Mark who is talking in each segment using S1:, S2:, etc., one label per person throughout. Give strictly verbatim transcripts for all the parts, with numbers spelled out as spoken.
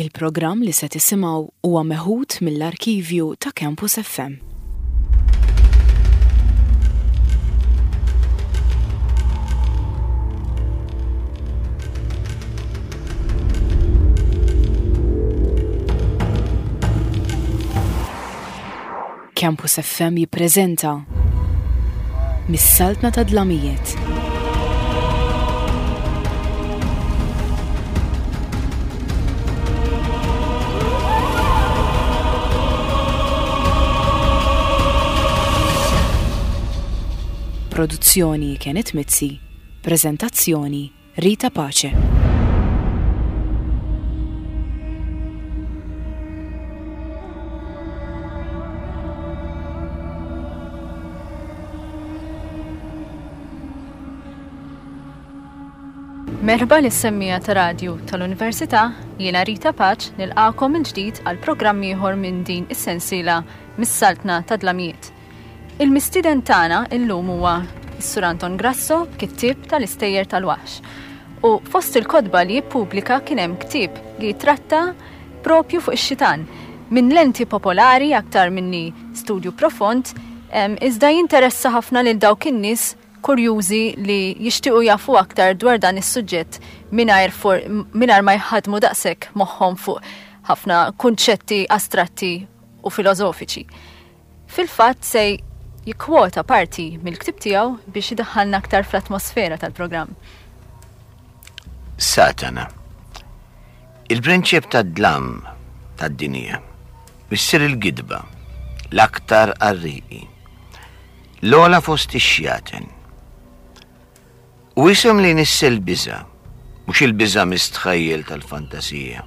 S1: Il-programm li se tisimgħu huwa meħud mill-arkivju ta' Campus F M. Campus F M jippreżenta Mis-Saltna ta' Dlamijiet. Produzzjoni Kenneth Mizzi, prezentazzjoni Rita Pace.
S2: Merħba lis-semmiegħa ta' radju tal-Università, jiena Rita Pace nilqagħkom mill-ġdid għal programm ieħor minn din is-sensiela Mis-Saltna ta' Dlamijiet. Il-mistieden tagħna illum huwa s-Sur Anton Grasso, kittieb tal-Istejjer tal-Waħx. U fost il-kotba li jippubblika kien hemm ktieb li jitratta propju fuq ix-xitan minn lenti popolari aktar minni studju profond, em, iżda jinteressa ħafna lil dawk in-nies kurjużi li jixtiequ jafu aktar dwar dan is-suġġett mingħajr for- mingħajr ma jħadmu daqshekk moħħhom fuq ħafna kunċetti astratti u filosofiċi. Fil-fatt se jikkwota parti mill-ktib tiegħu biex idaħħalna aktar fl-atmosfera tal-programm.
S3: Satana. Il-prinċip tad-dlam tad-dinja. Missier il-gidba, l-aktar qarriqi. L-ogħla fost ix-xjaten. U isem li jnissel biża', mhux il-biża' mistħajjel tal-fantasija.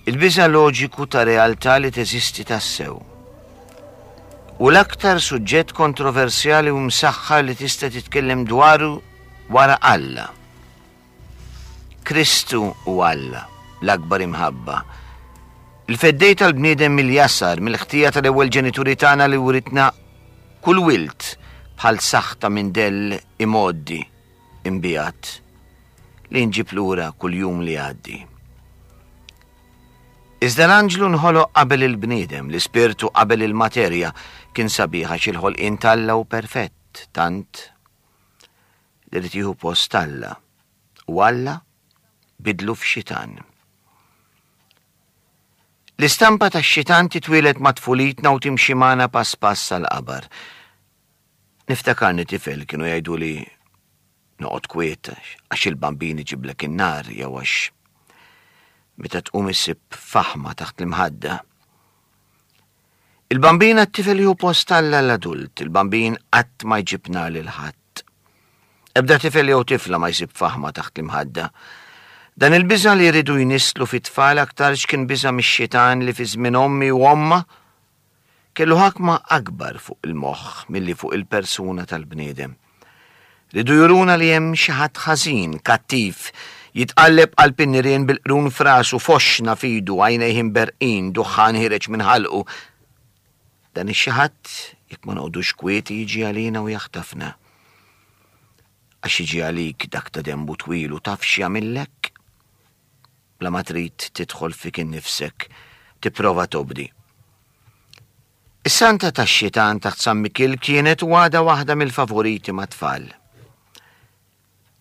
S3: Il-biża' loġiku ta' realtà li teżisti tassew. U l-aktar suġġett kontroversjali u msaħħar li tista' titkellem dwaru wara Alla. Kristu u Alla, l-akbar imħabba. Il-feddej tal-bniedem mill-jasar, mill-ħtija tal-ewwel ġenituri tagħna li writna kull wilt bħal saħta minn dell imgħoddi imbijat li nġib lura kull jum li għaddi. Iżda l-anġlu nħoloq qabel il-bniedem, l-ispirtu qabel il-materja, kien sabiħ għax il-ħolqien t'Alla u perfett, tant li ried jieħu post Alla. U Alla bidlu f'xitan. L-istampa ta' xitan titwieled ma' tfulitna u timxi magħna pass pass għal-qabar. Niftakarni tifel kienu jgħidu li noqgħod kwiet għax il-Bambin iġiblek in-nar jew għax meta tqum issib faħma taħt l-imħadda. Il-Bambin għat-tifel jieħu post Alla l-adult, il-Bambin qatt ma jġib nar lil ħadd. Ebda tifel jew tifla ma jsib faħma taħt l-imħadda. Dan il-biża' li jridu jnisslu fit-tfal aktarx kien biża' mix-xitan li fi żmien ommi u omma kellu ħakma akbar fuq il-moħħ milli fuq il-persuna tal-bniedem. Ridu juruna li hemm xi ħadd ħażin, kattiv, jitqalleb qalb in-nirien bil-qrun f'rasu, foxxna f'idu, għajnejh imberqin, duħħan ħiereġ minn ħalqu. Dan ix-xi ħadd, jekk ma noqogħdux kwieti, jiġi għalina u jaħtafna. Għax jiġi għalik dak ta' dembu twil u taf x'jagħmillek? Bla ma trid tidħol fik innifsek, tipprova tobdi. Is-santa tax-xitan taħt San Mikil kienet u għadha waħda mill-favoriti mat-tfal.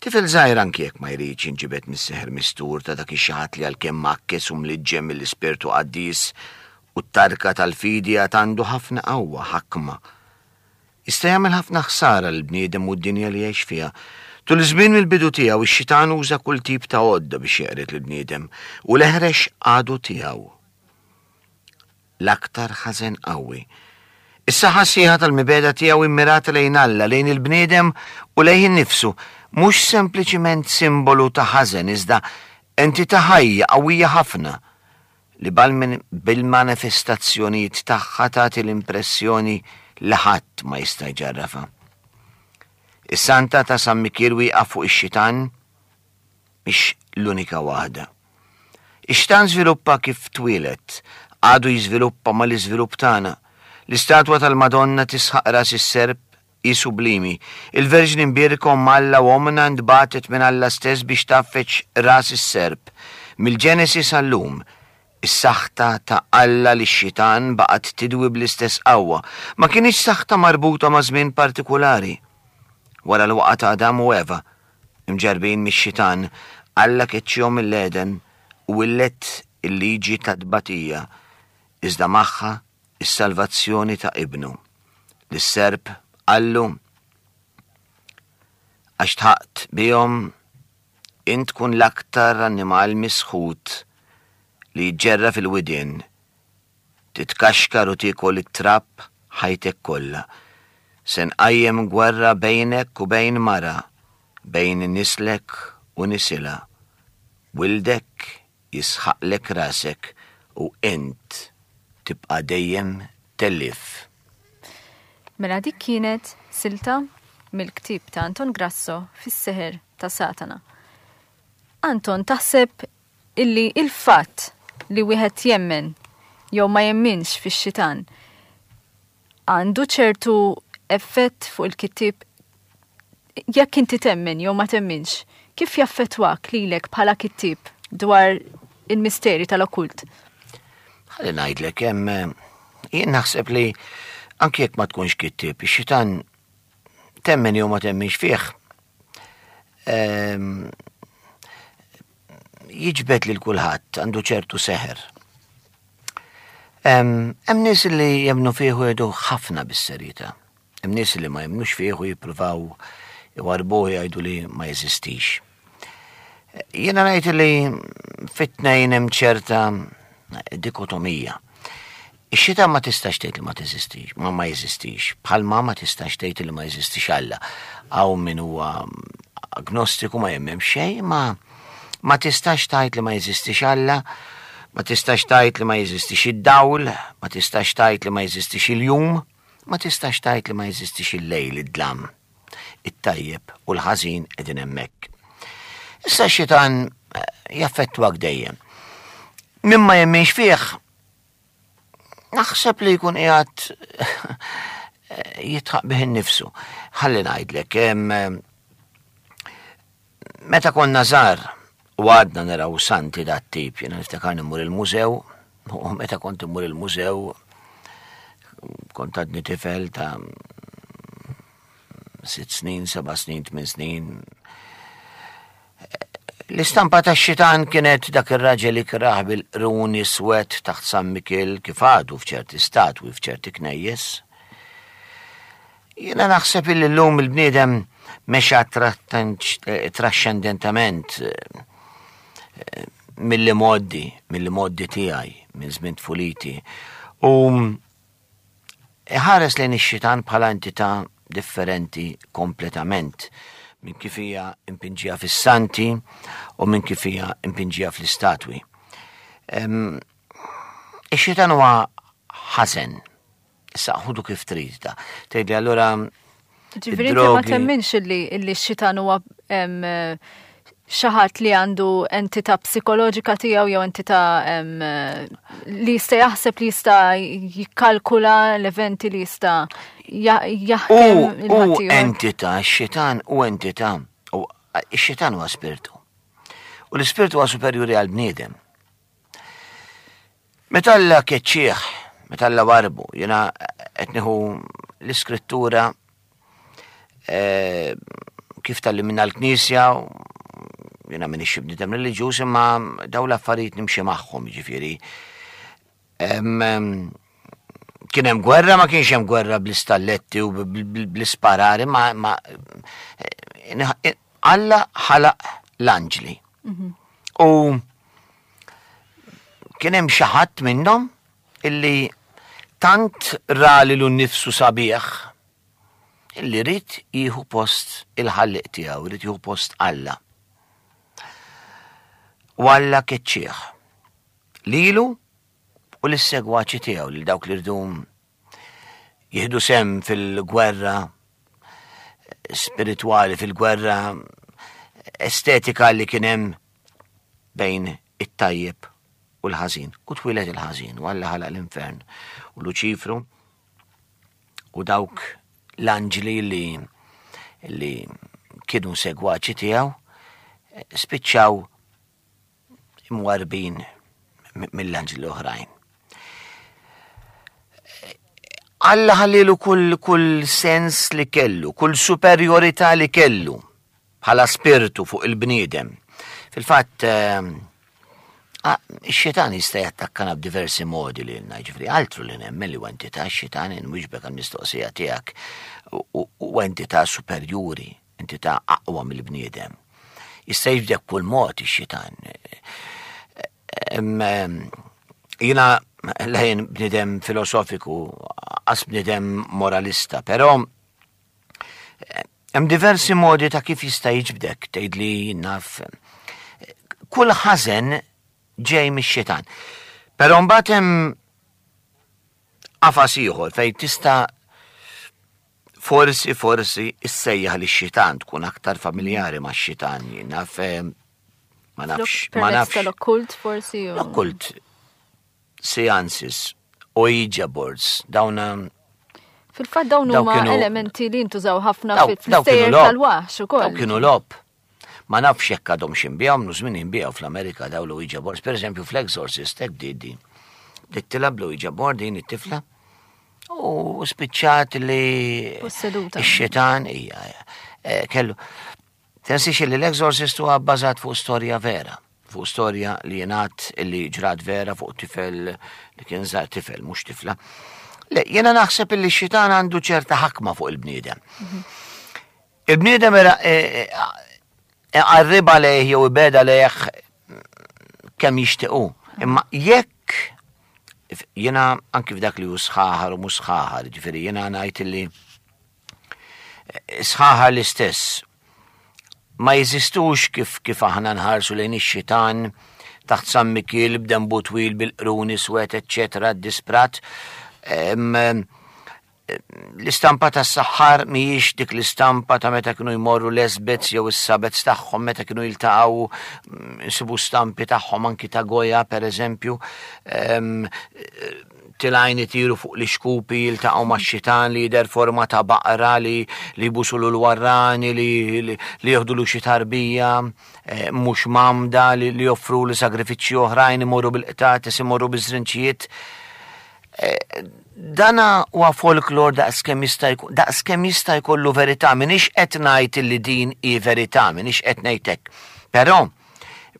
S3: Tifel żgħir anki jekk ma jridx jinġibed mis-seħer mistur ta' dak ix-xi ħadd li għalkemm mgħakkes u mliġġem mill-ispirtu qaddis u t-tarka tal-fidi għad għandu ħafna qawwa ħakma. Jista' jagħmel ħafna ħsara lill-bniedem u d-dinja li jgħix fiha. Tul iż-żmien mill-bidu tiegħu ix-xitan uża kull tip ta' għodda biex jeqred lill-bniedem u l-eħrex għadu tiegħu. L-aktar ħażen qawwi. Is-saħħa sħiħa tal-mibegħda tiegħu immirata lejn Alla, lejn il-bniedem u lejn innifsu, mhux sempliċiment simbolu ta' ħażen iżda entità ħajja qawwija ħafna li bil-manifestazzjonijiet tagħha tagħti l-impressjoni li ħadd ma jista' jġarrafha. Is-santa ta' San Mikiel wieqaf fuq ix-xitan mhix l-unika waħda. Ix-xitan żviluppa kif twieled, għadu jiżviluppa mal-iżvilupp tagħna. L-istatwa tal-Madonna tisħaq ras is-serp hi sublimi. Il-Verġni Mbierka Omm Alla u Ommna ntbagħtet minn Alla stess biex tgħaffeġ ras is-serp, Mill-Ġenesi sal-lum, is-saħta ta' Alla li x-xitan baqgħet tidwi bl-istess qawwa, ma kienx saħta marbuta ma' żmien partikulari. Wara l-waqgħa ta' Adam u Eva, imġarbin mix-xitan, Alla keċċihom mill-Eden u willet il-liġi ta' tbatija, iżda magħha is-salvazzjoni ta' ibnu. Lis-serp qallu, għax tħaqt bihom, int tkun l-aktar annimal misħut li jġerra fil-widien, titkaxkar u tiekol it-trab ħajtek kollha. Se nqajjem gwerra bejnek u bejn mara, bejn nislek u nisilha. Wildek jisħaqlek rasek u int tibqa' dejjem tellif.
S2: Mela dik kienet silta mill-ktieb ta' Anton Grasso Fis-Seħer ta' Satana. Anton, taħseb illi il-fatt li wieħed jemmen jew ma jemminx fix-xitan għandu ċertu effett fuq il-kittieb? Jekk inti temmen jew ma temminx, kif jaffettwak lilek bħala kittieb dwar il-misteri tal-okkult?
S3: Ħalli ngħidlek, hemm jien naħseb li anke jekk ma tkunx kittieb, ix-xitan temmen jew ma temminx fih, ehm, jiġbed lil kulħadd, għandu ċertu seħer. Hemm nies li jemmnu fih u jgħidu ħafna bis-serjetà. Hemm nies li ma jemmnux fih u jippruvaw iwarbuh, jgħidu li ma jeżistix. Jiena ngħid li fit-tnejn hemm ċerta dikotomija. Ix-xitan ma tistax tgħid li ma teżistix, ma ma jeżistix. Bħalma ma tistax tgħid li ma jeżistix Alla. Hawn min huwa agnostiku, ma jemmen xejn, ma ma tistax tgħid li ma jeżistix Alla, ma tistax tgħid li ma jeżistix id-dawl, ma tistax tgħid li ma jeżistix il-jum, ma tistax tgħid li ma jeżistix il-lejl, id-dlam. It-tajjeb u l-ħażin qegħdin hemmhekk. Issa x-xitan eh, jaffettwak dejjem. Min ma jemminx fih, naħseb li jkun qiegħed jidħaq bih innifsu. Ħalli ngħidlek, hemm, meta konna żgħar u għadna naraw santi dat tip, jiena niftakar immur il-mużew, u meta kont immur il-mużew, kont għadni tifel ta' sitt snin, seba' snin, tmien snin. L-istampa ta' xitan kienet dak ir-raġel ikraħ bil-qrun iswed taħt San Mikiel, kif għadu f'ċerti statwi f'ċerti knejjes. Jiena naħseb illi llum il-bniedem mexa traxxendentament eh, mill moddi, mill moddi tiegħi, minn żmien tfuliti. U ħares lejn ix-xitan bħala entità differenti kompletament minn kif hija impinġija fis-santi u minn kif hija impinġija fl-istatwi. Ix-xitan huwa ħażen. Issa ħudu kif trid ta. Tgħidli allura
S2: Ġifieri inti ma temminx illi illi x-xitan huwa xi ħadd li għandu entità psikoloġika tiegħu jew entità li jista' jaħseb, li jista' jikkalkula l-eventi, li jista' jaħkem?
S3: U entità, x-xitan u entità, u x-xitan huwa spiritu. U l-ispiritu huwa superjuri għal bniedem. Meta Alla keċċieħ, meta Alla warbu, jiena qed nieħu l-iskrittura eh, kif tgħallimna l-Knisja, jiena m'iniex bniedem reliġjuż, imma daw l-affarijiet nimxi magħhom, jiġifieri. Kien hemm gwerra, ma kienx hemm gwerra bl-istalletti u bl-isparari, ma, ma Alla ħalaq l-anġli. Mhm. U kien hemm xi ħadd minnhom illi tant ra lilu nnifsu sabiħ illi ried jieħu post il-ħalliq tiegħu, ried jieħu post Alla. U Alla keċċieħ. Lilu u l-segwaċi tiegħu, lil dawk li rridu jieħdu sem fil-gwerra spiritwali, fil-gwerra estetika li kien hemm bejn it-tajjeb u l-ħażin. U twieled il-ħażin, u Alla ħalaq l-infern. U Luċifru u dawk l-anġli li, li kienu segwaċi tiegħu spiċċaw imwarbin mill-anġli l-oħrajn. Alla ħallilu kull, kull sens li kellu, kull superjorità li kellu bħala spirtu fuq il-bniedem. Fil-fatt, ix-xitan jista' jattakkana b'diversi modi li lna, ġifieri altru li nemmen li entità x-xitan inwiġbek għall-mistoqsija tiegħek u entità superjuri, entità aqwa mill-bniedem. Jista' jibdek kull mod ix-xitan. Jiena lejn bniedem filosofiku, qas bniedem moralista, però hemm diversi modi ta' kif jista' jiġbdek, tgħidli naf. Kull ħażen ġej mix-xitan. Però mbagħad hemm qafas ieħor fejn tista' forsi, forsi issejjaħ lix-xitan, tkun aktar familjari max-xitan, naf, ma nafx, ma
S2: Permezz
S3: nafx.
S2: tal-okkult forsi u-
S3: L-okkult, seances, Ouija boards, dawn
S2: Fil-fatt dawn
S3: Daw
S2: huma
S3: kienu-
S2: elementi li ntużaw ħafna
S3: Daw-
S2: fil-
S3: daw kienu
S2: fl-istejjer
S3: logħob.
S2: tal-waħx ukoll.
S3: Daw kienu logħob. Ma nafx jekk għadhom x'inbiegħu, minnu żmien inbiegħu fl-Amerika daw l-Ouija boards. Per eżempju, fl-Exorcist, hekk bdiet din. Bdiet tilgħab l-Ouija board din it-tifla u spiċċat li
S2: Posseduta.
S3: ix-xitan hija, eh, kellu. Tinsiex li l-Exorcist huwa bbażat fuq storja vera, fuq storja li jingħad li ġrat vera fuq tifel li kien żgħar, tifel mhux tifla. Le, jiena naħseb li x-xitan għandu ċerta ħakma fuq il-bniedem. Il-bniedem era, eh, eh, qarriba lejh jew ibeda lejh kemm jixtiequ. Imma jekk jiena anki f'dak li hu sħaħar u mhux sħaħar, ġifieri jiena ngħid li sħaħar l-istess ma jeżistux kif, kif aħna nħarsu lejn ix-xitan taħt San Mikiel b'dembu twil bil-qruni swed, eċċetera, disprat. Em, L-istampa tas saħħar mhijiex dik l-istampa ta' meta kienu jmorru l-esbets jew is-sabets tagħhom meta kienu jiltaqgħu, mm, nsibu stampi tagħhom anki ta' Goya per eżempju. Em, tilajn itiru fuq l-ixkupi jiltaqgħu max-xitan li jidher forma ta' baqra li, li jbusulu l-warrani, li, li, li joħdulu xi tarbija, eh, mhux mamda, li, li joffru li sagrifiċċji oħrajn, imorru bil-qtates, imorru biż-żrinċijiet. Eh, Dana huwa folklor daqskemm jista' jkun, daqskemm jista' jkollu verità, m'iniex qed ngħid li din hi verità, m'iniex qed ngħid hekk. Però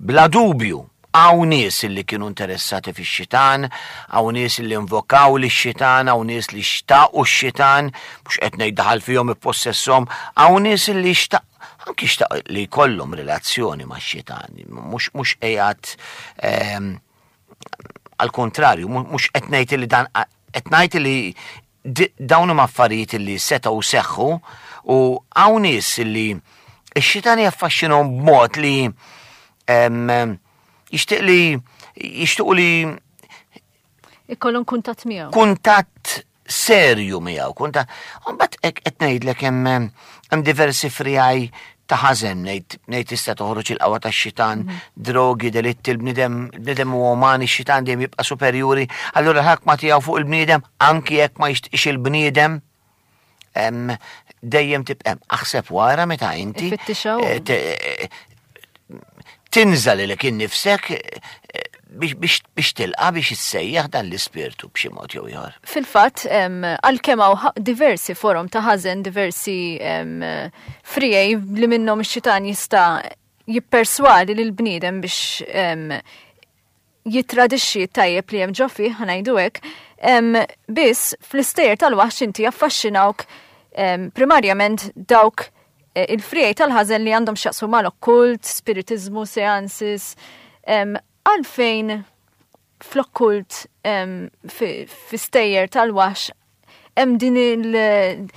S3: bla dubju hawn nies li kienu interessati fix-xitan, hawn nies li invokaw lix-xitan, hawn nies li xtaqu x-xitan, mhux qed ngħid daħal fihom ippossesshom, hawn nies li xtaq, anki xtaq li jkollhom relazzjoni max-xitan, mhux, mhux qiegħed, ehm, għal kontrarju, mhu-, mhux qed ngħid li dan, qed ngħid li di-, dawn huma affarijiet li setgħu seħħu u hawn nies li x-xitan jaffaxxinhom b'mod li, em, jixtieq li, jixtiequ li
S2: Ikollhom kuntatt miegħu.
S3: Kuntatt serju miegħu, kuntatt. U mbagħad hekk qed ngħidlek hemm, hemm diversi frijaj ta' ħażen, ngħid, ngħid tista' toħroġ il-qawwa tax-xitan,
S2: Mhm.
S3: drogi, delitti, il-bniedem, il-bniedem huwa umani, ix-xitan dejjem jibqa' superjuri, allura l-ħakma tiegħu fuq il-bniedem, anki jekk ma jixtieqx il-bniedem, em, dejjem tibqa' hemm. Aħseb wara meta inti,
S2: Ifittixha hu.
S3: eh, te-, eh, tinża lilek innifsek, eh, biex, biex, biex tilqa' biex issejjaħ dan l-ispirtu b'xi mod jew ieħor.
S2: Fil-fatt, em, għalkemm hawn ħa-, diversi forom ta' ħażen, diversi, em, frijej li minnhom ix-xitan jista' jipperswadi lil bniedem biex, em, jitradixxi tajjeb li hemm ġo fih, ħa ngħidu hekk, em, biss fl-istejjer tal-waħx inti jaffaxxinawk, em, primarjament dawk, eh, il-frijej tal-ħażen li għandhom x'jaqsmu mal-okkult, spiritizmu, seances, em, għalfejn fl-okkult, em, fi, fi stejjer tal-waħx hemm din il-,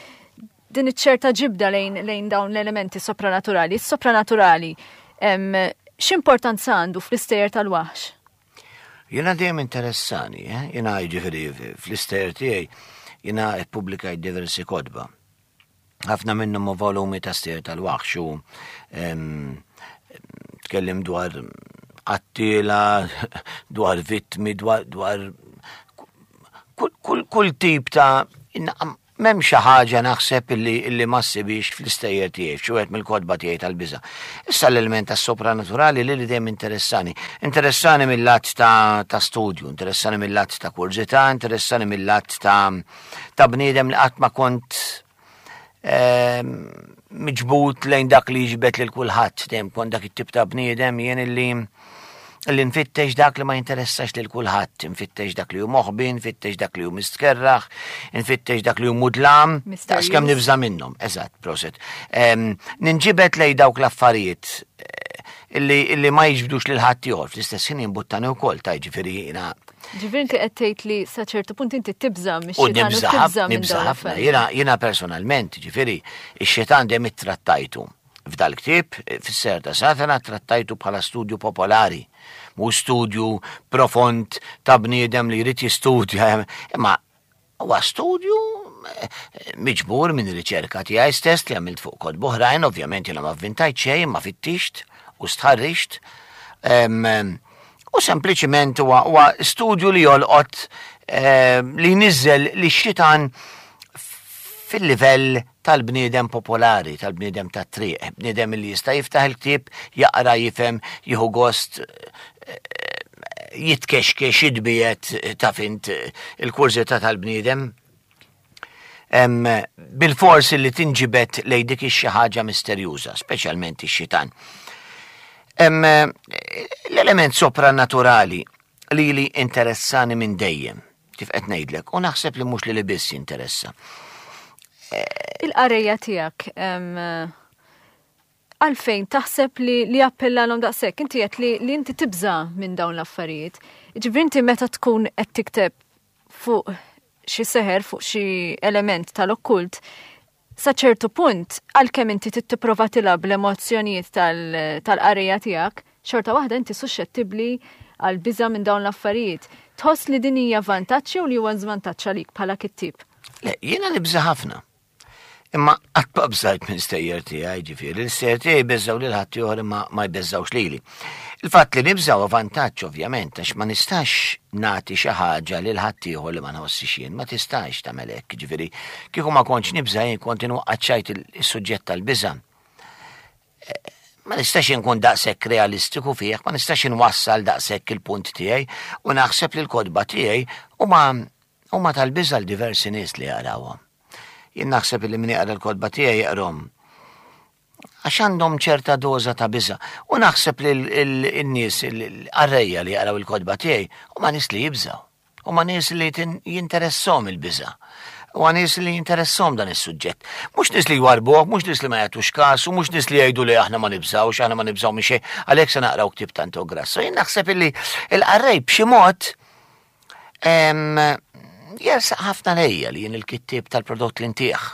S2: din iċ-ċerta ġibda lejn, lejn dawn l-elementi sopranaturali. Is-sopranaturali, em, x'importanza għandu fl-istejjer tal-waħx?
S3: Jiena dejjem interessani, eh? Jiena jiġifieri fl-istejjer tiegħi jiena ippubblikajt diversi kotba. Ħafna minnhom huma volumi ta' stejjer tal-waħx u, em, tkellim dwar qattila, dwar vittmi, dwar, dwar kull, kull, kull tip ta' inna, M'hemm xi ħaġa naħseb illi, illi ma ssibhiex fl-istejjer tiegħi, f'xi wieħed mill-kotba tiegħi tal-biża'. Issa l-element tas-sopranaturali li li dejjem interessani. Interessani mill-lat ta', ta' studju, interessani mill-lat ta' kurżità, interessani mill-lat ta', ta' bniedem li qatt ma kont ehm, miġbud lejn dak li jiġbed lil kulħadd, dejjem kont dak it-tip ta' bniedem jien illi li nfittex dak li ma jinteressax lil kulħadd, nfittex dak li hu moħbi, nfittex dak li hu mistkerraħ, nfittex dak li hu mudlam,
S2: Mysterious.
S3: daqskemm nibża' minnhom, eżatt, proset. Em, Ninġibed lejn dawk l-affarijiet eh, illi, illi ma jiġbdux lil ħadd ieħor, fl-istess ħin jimbuttani wkoll ta' ġifieri jiena
S2: Ġifieri inti qed tgħid li sa ċertu punt inti tibża'
S3: U
S2: mix-xitan u
S3: nibża'
S2: tibża' minn
S3: nibża'
S2: dawn
S3: ħafna.
S2: l-affarijiet.
S3: Jiena jiena personalment, ġifieri, ix-xitan dejjem ittrattajtu. F'dal-ktieb, fis-Seħer ta' Satana, trattajtu bħala studju popolari. Mhu studju profond ta' bniedem li jrid jistudja, imma huwa studju eh, miġbur minn riċerka tiegħi stess li għamilt fuq kotba oħrajn, ovvjament jiena ma vvintajt xejn, ma fittixt u stħarriġt. Em, U sempliċiment huwa huwa studju li jolqot eh, li jniżżel li x-xitan fil-livell tal-bniedem popolari, tal-bniedem tat-triq, bniedem li jista' jiftaħ il-ktieb, jaqra, jifhem, jieħu gost, eh, jitkexkex, jitbiegħed taf int il-kurżità tal-bniedem. Em, Bil-forsi li tinġibet lejn dik ix-xi ħaġa misterjuża, speċjalment ix-xitan. Em, L-element sopranaturali li li interessani minn dejjem, kif qed ngħidlek, u naħseb li mhux li li biss jinteressa.
S2: Il-qarrejja tiegħek em, għalfejn taħseb li li appellalhom daqshekk, inti qed li, li inti tibża' minn dawn l-affarijiet. Ġifieri inti meta tkun qed tikteb fuq xi seħer, fuq xi element tal-okkult, sa ċertu punt, għalkemm inti tipprova tilgħab l-emozzjonijiet tal- tal-qarrejja tiegħek, xorta waħda inti suscettibbli għal biża' minn dawn l-affarijiet. Tħoss li din hija vantaġġ jew li huwa żvantaġġ għalik bħala kittieb?
S3: Le, jiena nibża' ħafna. Imma qatt ma bżajt minn stejjer tiegħi, ġifieri, l-istejjer tiegħi jbeżżgħu lil ħadd ieħor imma ma jbeżżgħux lili. Il-fatt li nibża' huwa vantaġġ ovvjament għax ma nistax nagħti xi ħaġa lil ħadd ieħor li ma nħossix jien, ma tistax tagħmel hekk, ġifieri, kieku ma kontx nibża' jien kont inwaqqa' ċajt is-suġġett tal-biża'. Ma nistax inkun daqshekk realistiku fih, ma nistax inwassal daqshekk il-punt tiegħi u naħseb li l-kotba tiegħi huma huma tal-biża' l diversi nies li jaqrawhom. Jien naħseb li min jaqra l-kotba tiegħi jaqrahom għax għandhom ċerta doża ta' biża'. U naħseb li l-nies, l-qarrejja li jaqraw il-kotba tiegħi huma nies li jibżgħu. Huma nies li jinteressahom il-biża'. U nies li jinteressahom dan is-suġġett. Mhux nies li jwarbuh, mhux nies li ma jagħtux każ, u mhux nies li jgħidu li aħna ma nibżgħux, aħna ma nibżgħu minn xejn, għalhekk se naqraw ktieb Tanto Grasso. Jien naħseb illi il-qarrej b'xi mod jersaq ħafna lejja li jien il-kittieb tal-prodott li ntih.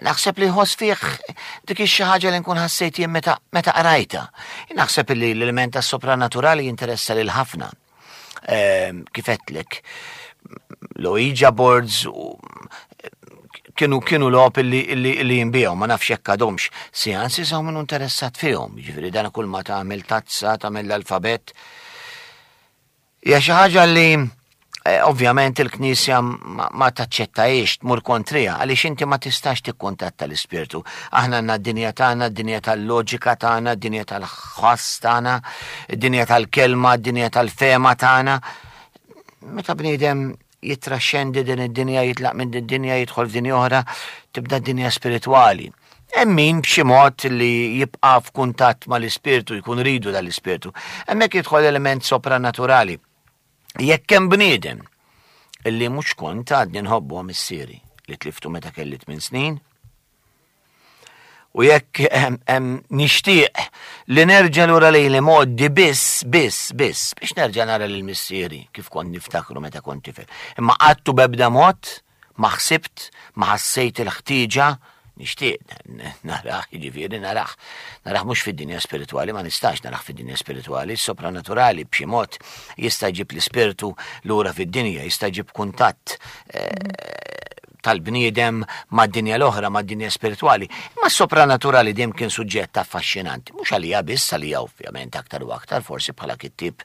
S3: Naħseb li jħoss fih dik xi ħaġa li nkun ħassejt jien meta meta qrajta. Naħseb li l-element tas-sopranaturali jinteressa lil ħafna. Kif għedtlek, l-Ouija boards u kienu kienu logħob illi, illi, illi jinbiegħu, ma nafx jekk għadhomx. Seances hawn minnu interessat fihom, jiġifieri dan kull ma tagħmel tazza, tagħmel l-alfabet. Hija xi ħaġa li eh, ovvjament il-Knisja ma, ma taċċettajiex tmur kontrija, għaliex inti ma tistax tikkuntatta l-ispirtu. Aħna għandna d-dinja tagħna, d-dinja tal-loġika tagħna, d-dinja tal-ħoss tagħna, d-dinja tal-kelma, d-dinja tal-fehma tagħna. Meta bniedem jitraxxendi din id-dinja, jitlaq minn din id-dinja, jidħol f'dinja oħra, tibda d-dinja spiritwali. Hemm min b'xi mod li jibqa' f'kuntatt mal-ispirtu, jkun ridu dal-ispirtu. Hemmhekk jidħol element sopranaturali. Jekk hemm bniedem illi mhux kont għadni nħobbu missieri li tliftu meta kelli tmien snin, u jekk hemm nixtieq li nerġa' lura lejn l-imgħoddi biss, biss, biss, biex nerġa' nara lil missieri kif kont niftakru meta kont tifel. Imma qatt u b'ebda mod ma ħsibt, ma ħassejt il-ħtieġa nixtieq narah, jiġifieri narah, narah mhux fid-dinja spiritwali, ma nistax narah fid-dinja spiritwali, sopranaturali b'xi mod jista' jġib l-ispirtu lura fid-dinja, jista' jġib kuntatt eh, tal-bniedem mad-dinja l-oħra, mad-dinja spiritwali. Imma s-sopranaturali dejjem kien suġġett affaxxinanti, mhux għalija biss, għalija ovvjament aktar u aktar, forsi bħala kittieb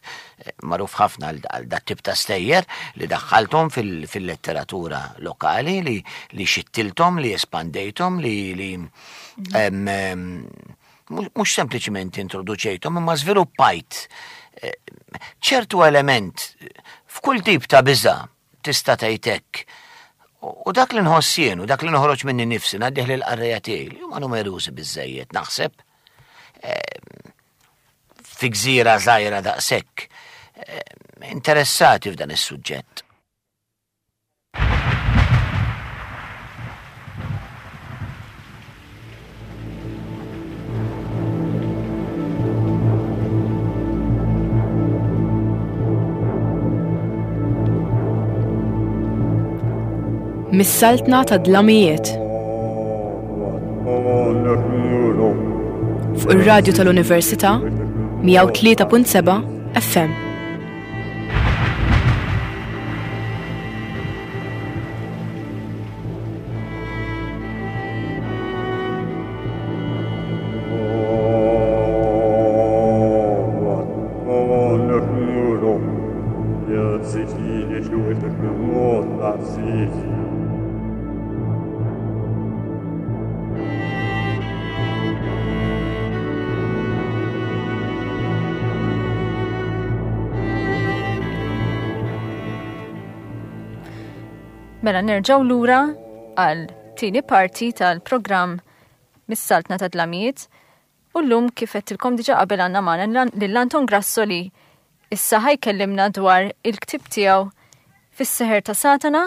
S3: magħruf ħafna għal dat tip ta' stejjer li daħħalthom fil-letteratura lokali, li, li xittilthom, li espandejthom, li, li mhux sempliċiment introduċejthom, imma żviluppajt ċertu element f'kull tip ta' biża' tista' tgħid hekk. U dak li nħoss jien u dak li noħroġ minni nifsi ngħaddih lill-qarrejja tiegħi li huma numerużi biżżejjed naħseb fi gżira żgħira daqshekk interessati f'dan is-suġġett.
S1: Mis-saltna ta' dlamijiet. Fuq ir-radju tal-Università mija u tlieta punt seba' F M.
S2: Mela nerġgħu lura għal tieni parti tal-programm Mis-Saltna ta' Dlamijiet u llum kif għedtilkom diġà qabel għandna magħna lil Anton Grasso li issa ħajkellimna dwar il-ktieb tiegħu Fis-Seħer ta' Satana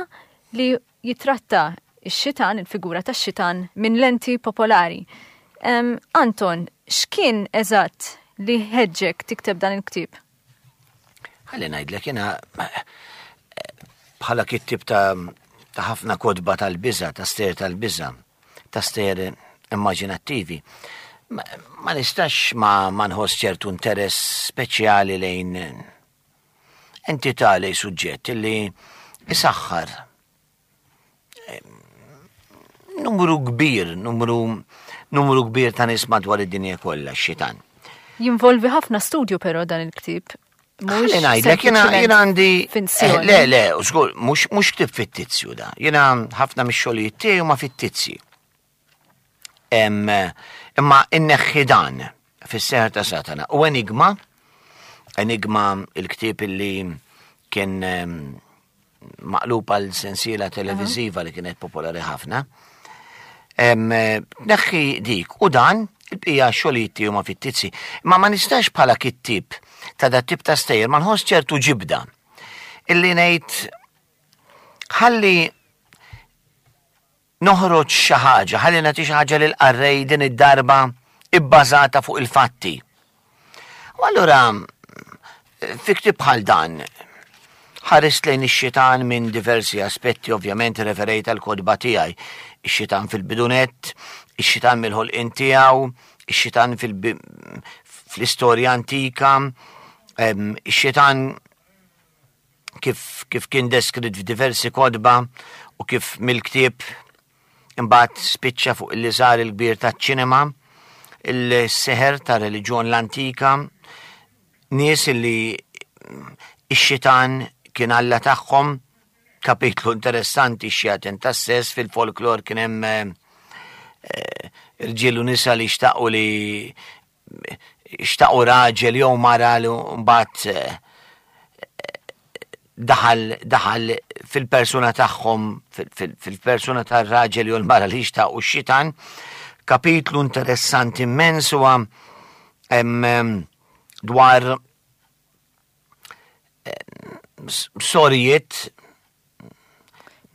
S2: li jitratta x-xitan, il-figura tax-xitan minn lenti popolari. Um, Anton, x'kien eżatt li ħeġġek tikteb dan il-ktieb?
S3: Ħalli ngħidlek jiena bħala kittieb ta' ta' ħafna kotba tal-biża', ta' stejjer tal-biża', ta' stejjer immaġinattivi. Ma, ma nistax ma, ma nħoss ċertu interess speċjali lejn entità, lejn suġġett li isaħħar numru kbir, numru, numru kbir ta' nies madwar id-dinja kollha, x-xitan.
S2: Jinvolvi ħafna studju però dan il-ktieb.
S3: Ħalli ngħidlek, jiena jiena għandi le, le, żgur, mhux mhux ktieb fittizju da. Jiena ħafna mix-xogħlijiet tiegħi huma fittizji. Imma inneħħi dan Fis-Seħer ta' Satana. U Enigma, Enigma il-ktieb illi kien maqlub għal sensiela televiżiva li kienet popolari ħafna. Neħħi dik u dan il-bqija xogħlijiet tiegħi huma fittizji. Imma ma nistax bħala kittieb ta' dat tip ta' stejjer ma nħoss ċertu ġibda illi ngħid ħalli noħroġ xi ħaġa, ħalli nagħti xi ħaġa lil qarrej din id-darba ibbażata fuq il-fatti. U allura fi ktieb bħal dan ħarist lejn ix-xitan minn diversi aspetti, ovvjament referejt għal kotba tiegħi. Ix-xitan fil-bidunet, ix-xitan mill-ħolqien tiegħu, ix-xitan fl-istorja antika, ix-xitan kif, kif kien deskritt f'diversi kotba u kif mill-ktieb imbagħad spiċċa fuq il-liżar il-kbir taċ-ċinema, il-seħer ta' reliġjon l-antika, nies li ix-xitan kien alla tagħhom. Kapitlu interessanti x-xjaten tas-sess fil-folklor kien hemm irġiel u nisa li xtaqu li xtaqu raġel jew mara li mbagħad daħal daħal fil-persuna tagħhom, fil-persuna tar-raġel jew l-mara li xtaqu x-xitan. Kapitlu interessanti immens huwa dwar sorijiet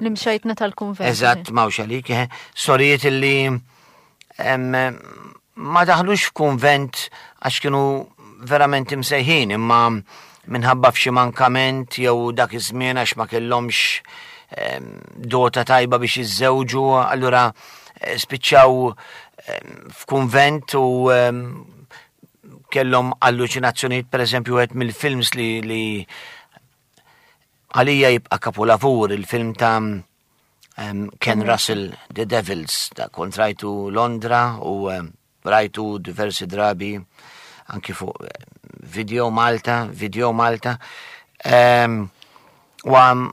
S2: l-imxajtna tal-kunvent.
S3: Eżatt, mawx għalik, sorijiet illi ma daħlux f'kunvent għax kienu verament imsejħin, imma minħabba f'xi mankament jew dak iż-żmien għax ma kellhomx dota tajba biex jiżżewġu, allura spiċċaw f'kunvent u kellhom alluċinazzjonijiet, pereżempju wieħed mill-films li, li għalija jibqa' kapolavur, il-film ta' um, Ken Russell, The Devils, da kont rajtu Londra u um, rajtu diversi drabi anki fuq eh, Video Malta, Video Malta. Um, u għam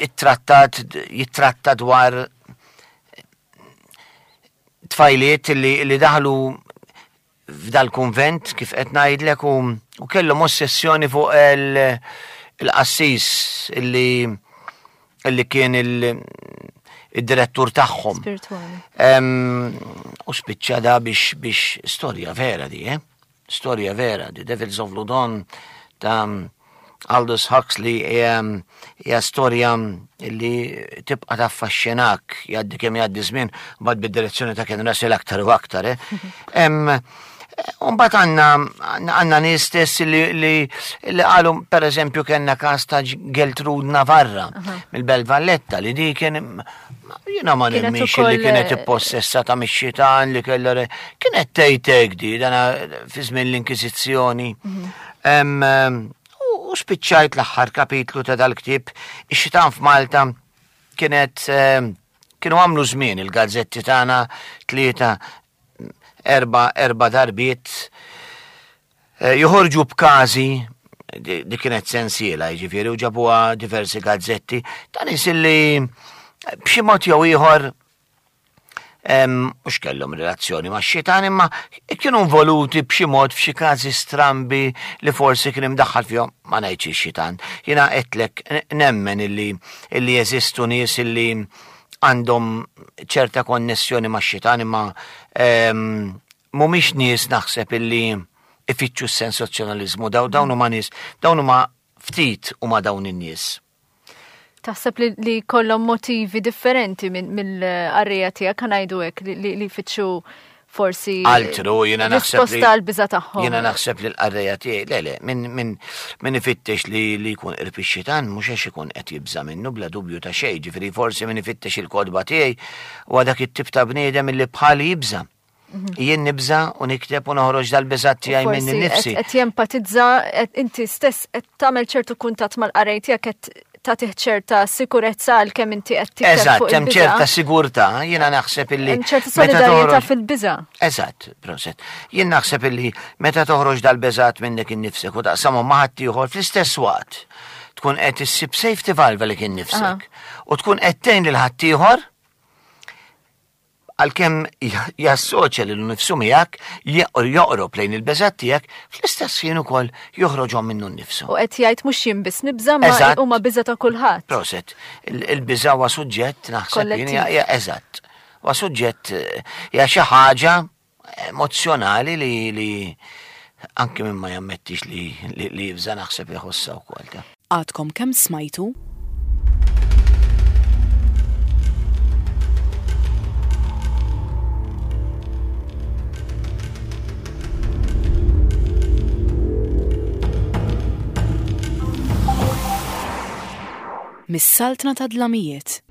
S3: it-trattat, jittratta dwar tfajliet li, li daħlu f'dal-kunvent kif qed ngħidlek u, u kellhom ossessjoni fuq il- il-qassis illi illi kien il- id-direttur tagħhom.
S2: Spirituali.
S3: Em, U spiċċa da biex biex storja vera di, eh? Storja vera, The Devils of Loudun ta' Aldous Huxley hija hija storja li tibqa taffaxxinak jgħaddi kemm jgħaddi żmien mbagħad bid-direzzjoni ta' Ken Russell aktar u aktar, eh? Em, Mbagħad għandna għandna nies stess li li li qalu pereżempju kellna każ ta' Geltrude Navarra mill-Belt Valletta li di kien jiena ma
S2: Kienet
S3: nemminx li
S2: ukoll,
S3: kienet
S2: eh,
S3: ippossessata mix-xitan li kellha re- kienet tgħid di dana fi żmien l-Inkwiżizzjoni. Em, em, U u spiċċajt l-aħħar kapitlu ta' dal-ktieb, ix-xitan f'Malta kienet em, kienu għamlu żmien il-gazzetti tagħna tlieta erba erba darbiet eh, joħorġu b'każi di di kienet sensiela, jiġifieri u ġabuha diversi gazzetti ta' nies illi b'xi mod jew ieħor em, mhux kellhom relazzjoni ma' xitan imma kienu involuti b'xi mod f'xi każi strambi li forsi kien imdaħħal fihom ma ngħidx ix-xitan. Jiena qedlek nemmen illi illi jeżistu nies illi għandhom ċerta konnessjoni ma' xitan imma em, mhumiex nies naħseb illi ifittxu s-sensazzjonalizmu daw dawn huma nies dawn huma ftit huma dawn in-nies.
S2: Taħseb li, li kollhom motivi differenti minn mill-qarrejja tiegħek ħa ngħidu hekk li, li, li jfittxu forsi
S3: Altru, jiena naħseb li.
S2: risposta għal biża tagħhom.
S3: Jiena naħseb li l-qarrejja tiegħi, le le, min min min ifittex li li jkun qrib ix-xitan mhux għax ikun qed jibża minnu bla dubju ta' xejn, ġifieri forsi min ifittex il-kotba tiegħi huwa dak it-tip ta' bniedem illi bħali jibża. Jien nibża u nikteb u noħroġ dal-biżat tiegħi minn
S2: Forsi
S3: nifsi.
S2: qed jempatizza, qed inti stess qed tagħmel ċertu kuntatt mal-qarrej tiegħek qed tagħtih ċerta sikurezza għal kemm inti qed tikteb
S3: Eżatt,
S2: fuq
S3: hemm
S2: il-biża.
S3: ċerta sigurtà, jiena naħseb illi.
S2: Hemm ċerta
S3: meta
S2: solidarjetà
S3: toħroġ-
S2: fil-biża.
S3: Eżatt, proset. Jien naħseb illi meta toħroġ dal-beżat minnek innifsek u taqsamhom ma' ħaddieħor fl-istess waqt tkun qed issib safety valve li kien nifsek u tkun qed tgħin lil ħaddieħor għalkemm jassoċja lilu nnifsu miegħek joqrob lejn il-beżat tiegħek fl-istess ħin ukoll joħroġhom minnu nnifsu.
S2: U qed jgħid mhux jien biss nibża ma
S3: Eżatt.
S2: huma biża ta' kulħadd.
S3: Proset, il- il-biża huwa suġġett naħseb jien
S2: Kollettiv.
S3: hija- hija eżatt. Huwa suġġett eh, hija xi ħaġa emozjonali li li anki minn ma jammettix li li, li jibża naħseb jħossha wkoll. ta.
S1: Għadkom kemm smajtu Mis-Saltna ta' Dlamijiet.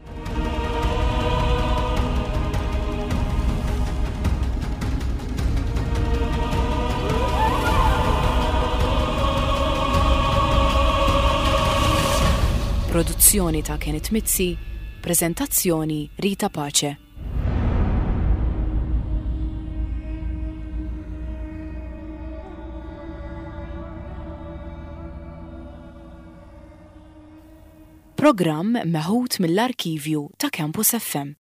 S1: Produzzjoni ta' Kenneth Mizzi, prezentazzjoni Rita Pace. Programm meħud mill-arkivju ta' Campus F M.